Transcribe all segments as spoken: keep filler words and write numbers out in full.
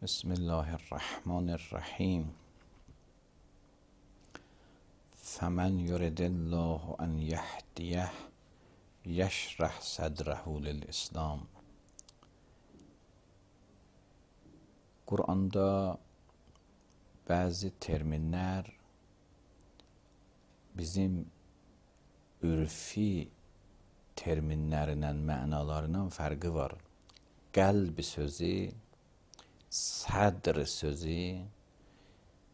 بسم الله الرحمن الرحیم. فمن یرد الله ان یهدیه یشرح صدره للاسلام. Quranda bəzi terminlər bizim ürfi terminlərindən, mənalarından fərqi var. Qəlb sözü, sədr sözü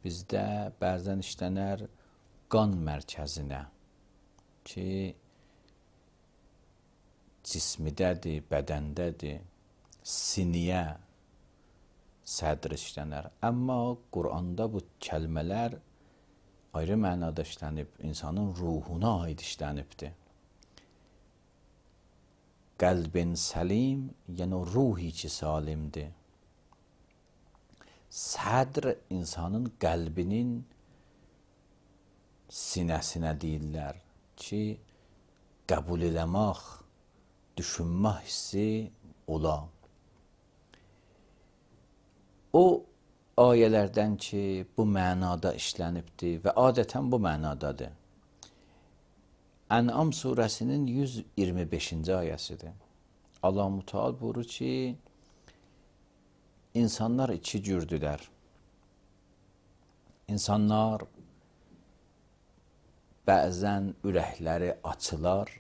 bizdə bəzən işlənər qan mərkəzinə ki, cismidədir, bədəndədir, siniyə sədr işlənər. Amma Quranda bu kəlmələr ayrı mənada işlənib, insanın ruhuna aid işlənibdir. Qəlbin səlim, yəni ruhi ki salimdir. Sədr insanın qəlbinin sinəsinə deyirlər ki, qəbul eləmək, düşünmə hissi ola. O ayələrdən ki, bu mənada işlənibdir və adətən bu mənadadır. Ən'am surəsinin yüz iyirmi beşinci ayəsidir. Allah Müteal buyurur ki, insanlar iki cürdülər. İnsanlar bəzən ürəkləri açılar,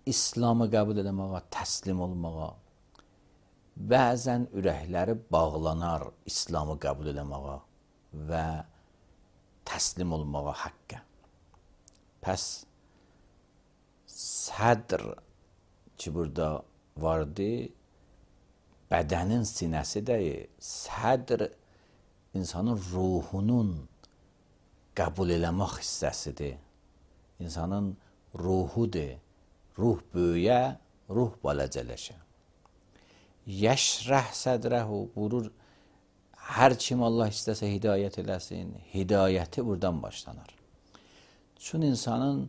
İslamı qəbul eləməyə, təslim olmağa. Bəzən ürəkləri bağlanar İslamı qəbul eləməyə və təslim olmağa haqqə. Pəs sədr ki burada vardı, bədənin sinəsi deyil, sədr insanın ruhunun qəbul eləmək hissəsidir. İnsanın ruhudur. Ruh böyüyə, ruh balacələşə. Yəşrəh sədrəhu buyurur, hər kim Allah istəsə hidayət eləsin, hidayəti buradan başlanır. Çün insanın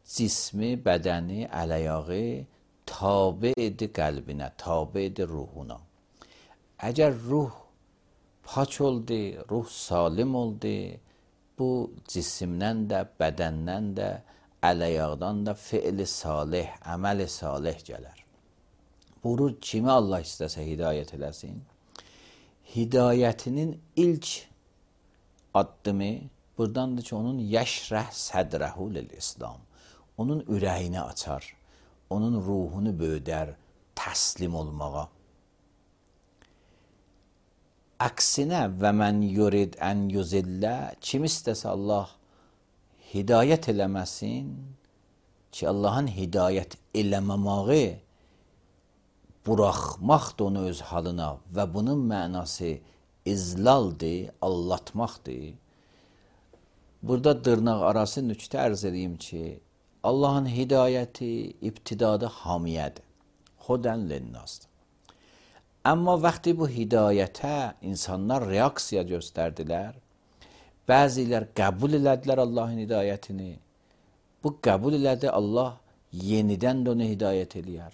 cismi, bədəni, əl-ayağı tabidir qəlbinə, tabidir ruhuna. Əgər ruh paç oldu, ruh salim oldu, bu cisimdən də, bədəndən də, əl-ayaqdan da fiili salih, əməli salih gələr. Buyurur, kimi Allah istəsə hidayət eləsin, hidayətinin ilk addımı buradandır ki, onun yəşrəh sədrəhu lil-islam. Onun ürəyini açar, onun ruhunu böyüdər təslim olmağa. Əksinə və mən yurid ən yuzillə, kim istəsə Allah hidayət eləməsin ki, Allahın hidayət eləməməyi buraxmaqdır onu öz halına və bunun mənası izlaldır, allatmaqdır. Burada dırnaq arası nüktə ərz edeyim ki, Allahın hidayəti ibtidada hamiyədir, xudən linnasdır. Amma vaxtı bu hidayətə insanlar reaksiya göstərdilər, bəzilər qəbul elədilər Allahın hidayətini, bu qəbul elədi Allah yenidən də onu hidayət eləyər.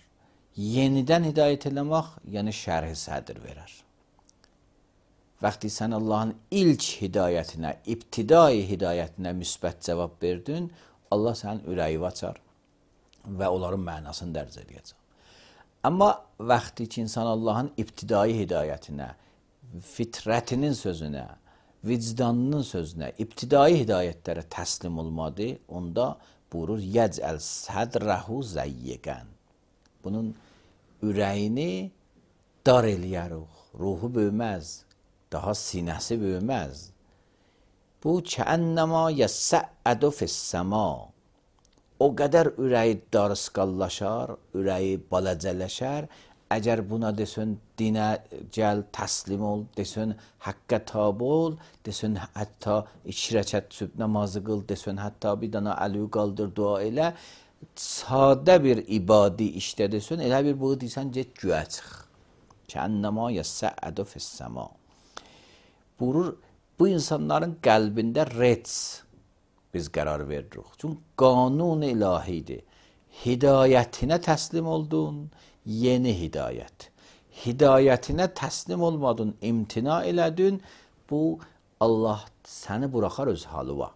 Yenidən hidayət eləmək, yəni şərh-i sədr verər. Vaxtı sən Allahın ilk hidayətinə, ibtidai hidayətinə müsbət cavab verdin, Allah sənin ürəyi açar və onların mənasını dərc edəcək. Amma vaxtı ki, insan Allahın ibtidai hidayətinə, fitrətinin sözünə, vicdanının sözünə, ibtidai hidayətlərə təslim olmadı, onda buyurur, yəcəl sədrəhu zəyyəqən. Bunun ürəyini dar eləyərik, ruhu böyüməz, daha sinəsi böyüməz. Bu, kəənnəma yəssəədu fissəma. O qədər ürəyi darısqallaşar, ürəyi balacələşər. Əgər buna desin, dinə gəl, təslim ol, desin, həqqə tabi ol, desin, hətta iki rəkət sübh namazı qıl, desin, hətta bir dana əliyi qaldır, dua elə. Sadə bir ibadi işdə desin, elə bir bu deysən, get güyə çıx. Kəənnəma yəssəədu fissəma. Buyurur, bu insanların qəlbində rets biz qərar veririk. Çünki qanun ilahidir. Hidayətinə təslim oldun, yeni hidayət. hidayətinə təslim olmadın, imtina elədin, bu Allah səni buraxar öz halıva.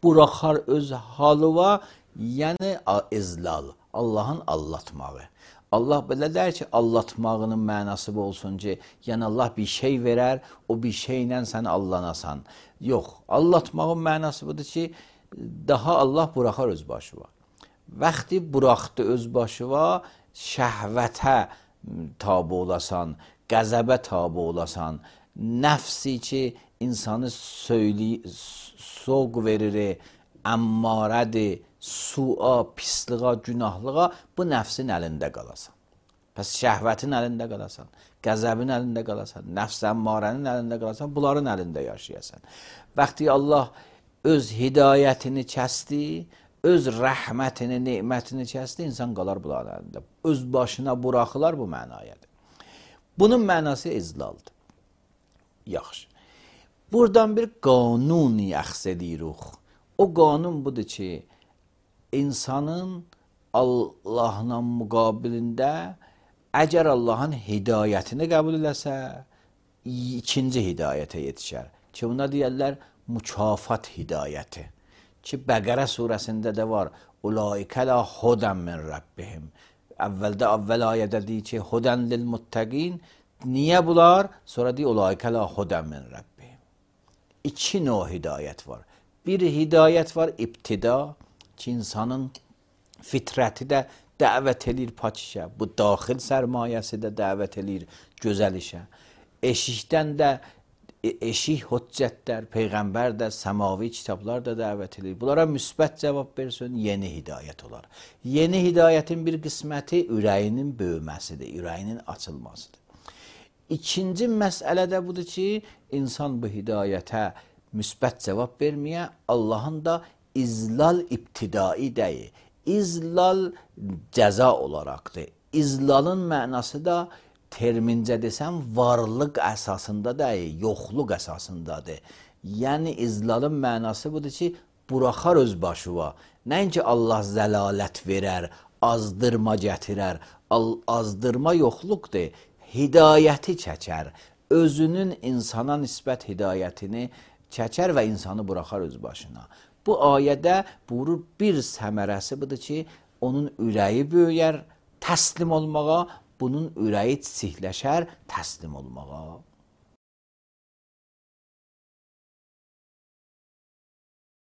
Buraxar öz halıva, yəni izlal, Allahın allatmağı. Allah belə deyir ki, allatmağının mənası bu olsun ki, yəni Allah bir şey verər, o bir şeylə sən allanasan. Yox, allatmağın mənası budur ki, daha Allah buraxar öz başıva. Vaxti buraxdı öz başıva, şəhvətə tabi olasan, qəzəbə tabi olasan, nəfsi ki, insanı söyli, soğ verir, əmmarədir, su'a, pisliğa, günahlığa, bu nəfsin əlində qalasan. Pəs şəhvətin əlində qalasan, qəzəbin əlində qalasan, nəfs əmmarənin əlində qalasan, bunların əlində yaşayasan. Vaxtı Allah öz hidayətini kəsdi, öz rəhmətini, nemətini kəsdi, insan qalar bunların əlində. Öz başına buraxılar bu mənayadır. Bunun mənası izlaldır. Yaxşı. Buradan bir qanun yaxs edirik. O qanun budur ki, insanın Allahla müqabilində əgər Allahın hidayətini qəbul eləsə, ikinci hidayətə yetişər. Ki, buna deyərlər mükafat hidayəti. Ki, Bəqərə surəsində də var. Ulaikə la hudən min Rabbihim. Əvvəldə, əvvəl ayədə deyir ki, hudən lil muttəqin. Niyə bunlar? Sonra deyir, ulaikə la hudən min Rabbihim. İki növ hidayət var. Bir hidayət var, ibtida, ki, insanın fitrəti də dəvət edir pak işə. Bu, daxil sərmayəsi də dəvət edir gözəl işə. Eşikdən də, eşik hüccətlər, Peyğəmbər də, səmavi kitablar da dəvət edir. Bunlara müsbət cavab versin, yeni hidayət olar. Yeni hidayətin bir qisməti ürəyinin böyüməsidir, ürəyinin açılmasıdır. İkinci məsələ də budur ki, insan bu hidayətə müsbət cavab verməyə, Allahın da izlal ibtidai deyil. İzlal cəza olaraqdır. İzlalın mənası da termincə desəm, varlıq əsasında deyil, yoxluq əsasındadır. Yəni, izlalın mənası budur ki, buraxar öz başıva. Nəinki Allah zəlalət verər, azdırma gətirər. Azdırma yoxluqdur. Hidayəti çəkər. Özünün insana nisbət hidayətini çəkər və insanı buraxar öz başına. Bu ayədə buyurur, bir səmərəsi budur ki, onun ürəyi böyüyər təslim olmağa, bunun ürəyi çiçikləşər təslim olmağa.